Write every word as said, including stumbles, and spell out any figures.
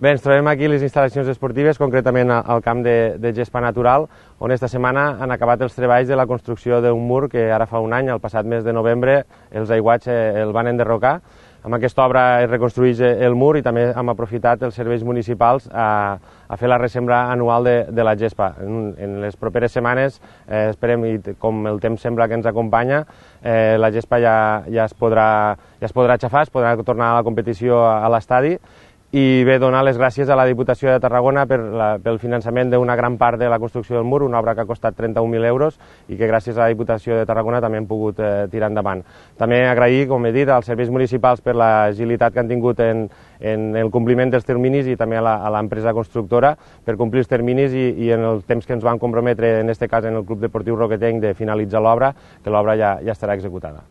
Bé, ens trobem aquí a les instal·lacions esportives, concretament al camp de, de gespa natural, on esta setmana han acabat els treballs de la construcció d'un mur que ara fa un any, el passat mes de novembre, els aiguats el van enderrocar. Amb aquesta obra es reconstrueix el mur i també hem aprofitat els serveis municipals a, a fer la resembra anual de, de la gespa. En, en les properes setmanes, eh, esperem, i com el temps sembla que ens acompanya, eh, la gespa ja, ja, es podrà, ja es podrà aixafar, es podrà tornar a la competició a, a l'estadi. I bé, donar les gràcies a la Diputació de Tarragona per la, pel finançament d'una gran part de la construcció del mur, una obra que ha costat trenta-un mil euros i que gràcies a la Diputació de Tarragona també hem pogut eh, tirar endavant. També agrair, com he dit, als serveis municipals per l'agilitat que han tingut en, en el compliment dels terminis i també a l'empresa constructora per complir els terminis i, i en el temps que ens van comprometre, en aquest cas en el Club Deportiu Roquetenc, de finalitzar l'obra, que l'obra ja, ja estarà executada.